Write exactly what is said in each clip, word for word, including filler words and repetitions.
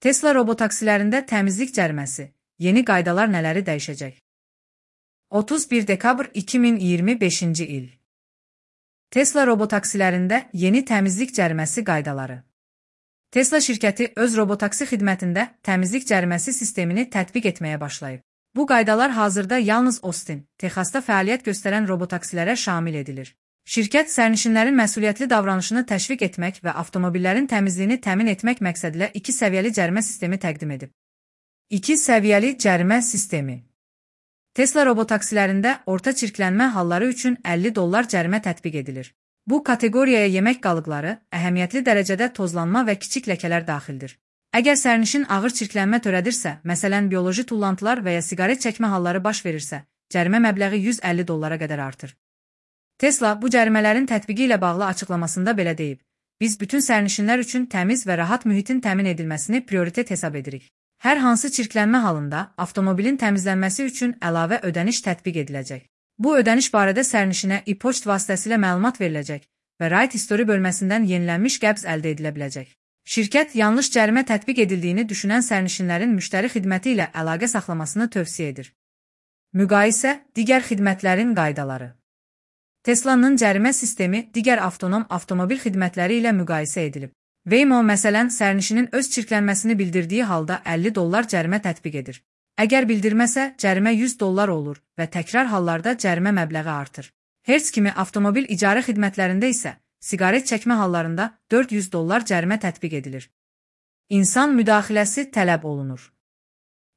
Tesla robotaksilərində təmizlik cəriməsi, yeni qaydalar nələri dəyişəcək? otuz bir dekabr iki min iyirmi beşinci il. Tesla robotaksilərində yeni təmizlik cəriməsi qaydaları. Tesla şirkəti öz robotaksi xidmətində təmizlik cəriməsi sistemini tətbiq etməyə başlayıb. Bu qaydalar hazırda yalnız Austin, Texasda fəaliyyət göstərən robotaksilərə şamil edilir. Şirkət sərnişinlərin məsuliyyətli davranışını təşviq etmək və avtomobillərin təmizliyini təmin etmək məqsədilə iki səviyyəli cərimə sistemi təqdim edib. iki səviyyəli cərimə sistemi. Tesla robotaksilərində orta çirklənmə halları üçün əlli dollar cərimə tətbiq edilir. Bu kateqoriyaya yemək qalıqları, əhəmiyyətli dərəcədə tozlanma və kiçik ləkələr daxildir. Əgər sərnişin ağır çirklənmə törədirsə, məsələn bioloji tullantılar və ya siqaret çəkmə halları baş verirsə, cərimə məbləği yüz əlli dollara qədər artır. Tesla bu cərimələrin tətbiqi ilə bağlı açıqlamasında belə deyib: "Biz bütün sərnişinlər üçün təmiz və rahat mühitin təmin edilməsini prioritet hesab edirik. Hər hansı çirklənmə halında avtomobilin təmizlənməsi üçün əlavə ödəniş tətbiq ediləcək. Bu ödəniş barədə sərnişinə e-poçt vasitəsilə məlumat veriləcək və Ride History bölməsindən yenilənmiş qəbz əldə edilə biləcək." Şirkət yanlış cərimə tətbiq edildiyini düşünən sərnişinlərin müştəri xidməti ilə əlaqə saxlamasını tövsiyə edir. Müqayisə, digər xidmətlərin qaydaları. Tesla'nın cərimə sistemi digər avtonom avtomobil xidmətləri ilə müqayisə edilib. Waymo məsələn sərnişinin öz çirklənməsini bildirdiyi halda əlli dollar cərimə tətbiq edir. Əgər bildirməsə, cərimə yüz dollar olur və təkrar hallarda cərimə məbləği artır. Hertz kimi avtomobil icarə xidmətlərində isə siqaret çəkmə hallarında dörd yüz dollar cərimə tətbiq edilir. İnsan müdaxiləsi tələb olunur.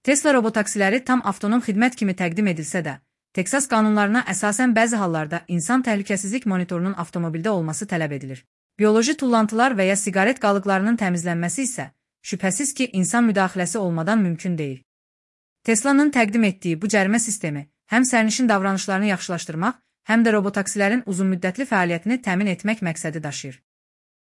Tesla robotaksiləri tam avtonom xidmət kimi təqdim edilsə də, Texas qanunlarına əsasən bəzi hallarda insan təhlükəsizlik monitorunun avtomobildə olması tələb edilir. Bioloji tullantılar və ya siqaret qalıqlarının təmizlənməsi isə şübhəsiz ki, insan müdaxiləsi olmadan mümkün deyil. Tesla'nın təqdim etdiyi bu cərimə sistemi həm sərnişin davranışlarını yaxşılaşdırmaq, həm də robotaksilərin uzunmüddətli fəaliyyətini təmin etmək məqsədi daşıyır.